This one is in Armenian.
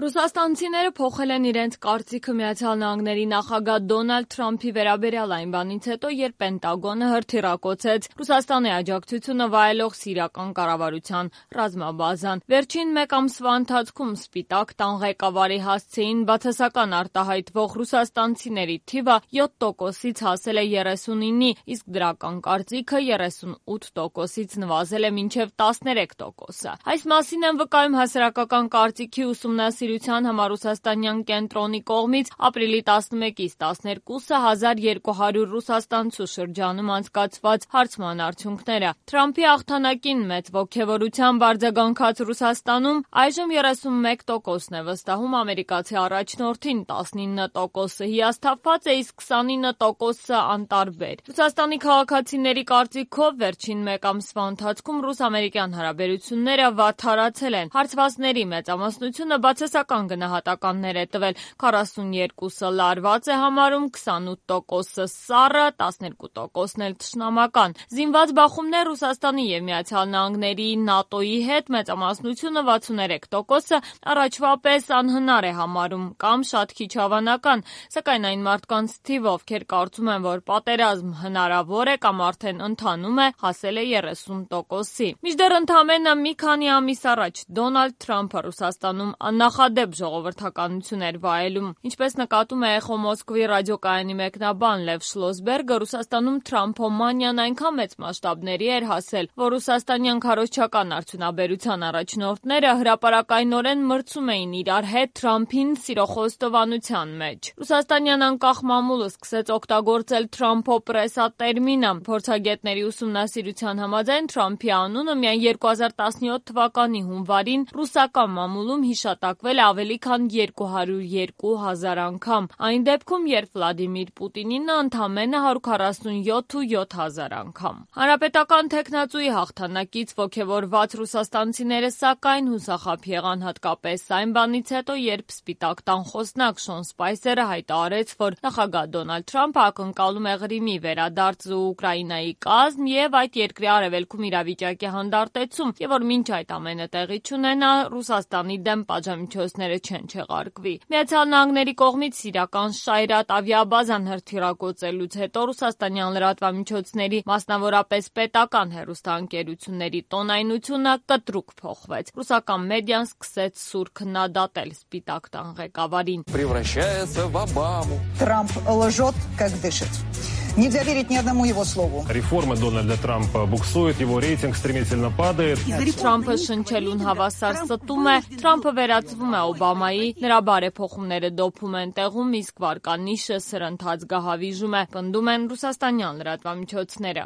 Ռուսաստանցիները փոխել են իրենց կարծիքը Միացյալ Նահանգների նախագահ Դոնալդ Թրամփի վերաբերյալ այն բանից հետո, երբ Պենտագոնը հրթիռակոծեց Ռուսաստանի աջակցությունը վայելող սիրիական կառավարության ռազմաբազան։ Վերջին մեկ ամսվա ընթացքում Սպիտակ տան ղեկավարի հասցեին բացասական արտահայտվող ռուսաստանցիների թիվը 7%-ից հասել է 39-ի, իսկ դրական կարծիքը 38%-ից նվազել է մինչև 13%։ Այս մասին են վկայում հասարակական կարծիքի ուսումնասիրության համառուսաստանյան կենտրոնի կողմից ապրիլի 11-ից 12-ը 1200 ռուսաստանցու շրջանում անցկացված հարցման արդյունքները։ Թրամփի հաղթանակին մեծ ոգևորությամբ արձագանքած Ռուսաստանում այժմ 31%-ն է վստահում ամերիկացի առաջնորդին, 19%-ը հիասթափված է, իսկ 29%-ը անտարբեր։ Ռուսաստանի քաղաքացիների կարծիքով վերջին մեկ ամսվա ընթացքում ռուս-ամերիկյան հարաբերությունները վատթարացել են։ Հարցվածների մեծամասնությունը բացասական գնահատականներ է տվել, 42%-ը լարված է համարում, 28%-ը սառը, 12%-ն էլ թշնամական։ Զինված բախումներ Ռուսաստանի և Միացյալ Նահանգների ՆԱՏՕ-ի հետ մեծամասնությունը 63%-ը առաջվա պես անհնար է համարում կամ շատ քիչ հավանական, սակայն այն մարդկանց թիվը, ովքեր կարծում են, որ պատերազմ հնարավոր է կամ արդեն ընթանում է, հասել է 30%-ի։ Մինչդեռ ընդամենը մի քանի ամիս առաջ Դոնալդ Թրամփը Ռուսաստանում աննախադեպ ժողովրդականություն էր վայելում։ Ինչպես նկատում է Էխո Մոսկվի ռադիոկայանի մեկնաբան Լև Շլոսբերգը, Ռուսաստանում Թրամփոմանիան այնքան մեծ մասշտաբների էր հասել, որ ռուսաստանյան քարոզչական արդյունաբերության առաջնորդները հրապարակայնորեն մրցում էին իրար հետ Թրամփին սիրո խոստովանության մեջ։ Ռուսաստանյան անկախ մամուլը սկսեց օգտագործել Թրամփոպրեսա տերմինը։ Փորձագետների ուսումնասիրության համաձայն Թրամփի անունը միայն 2017 թվականի հունվարին ռուսական մամուլում հիշատակվել է ավելի քան 202,000 անգամ, այն դեպքում, երբ Վլադիմիր Պուտինինը ընդամենը 147,700 անգամ։ Հանրապետական թեկնածուի հաղթանակից ոգևորված ռուսաստանցիները սակայն հուսախաբ եղան հատկապես այն բանից հետո, երբ Սպիտակ տան խոսնակ Շոն Սպայսերը հայտարարեց, որ նախագահ Դոնալդ Թրամփը ակնկալում է Ղրիմի վերադարձը Ուկրաինայի կազմ և այդ երկրի արևելքում իրավիճակի հանդարտեցում, և որ մինչ այդ ամենը տեղի չունենա, Ռուսաստանի դեմ պատժամիջոցները չեն չեղարկվի։ Միացյալ Նահանգների կողմից սիրիական Շայրատ ավիաբազան հրթիռակոծելուց հետո ռուսաստանյան լրատվամիջոցների, մասնավորապես պետական հեռուստաընկերությունների տոնայնությունը կտրուկ փոխվեց։ Ռուսական մեդիան սկսեց սուր քննադատել Սպիտակ տան ղեկավարին։ Превращается в Обаму. Трамп лжет, как дышит. Нельзя верить ни одному его слову. Реформы Дональда Трампа буксуют, его рейтинг стремительно падает. Թրամփը շնչելուն հավասար ստում է, Թրամփը վերածվում է Օբամայի, նրա բարեփոխումները դոփում են տեղում, իսկ վարկանիշը սրընթաց գահավիժում է, պնդում են ռուսաստանյան լրատվամիջոցները։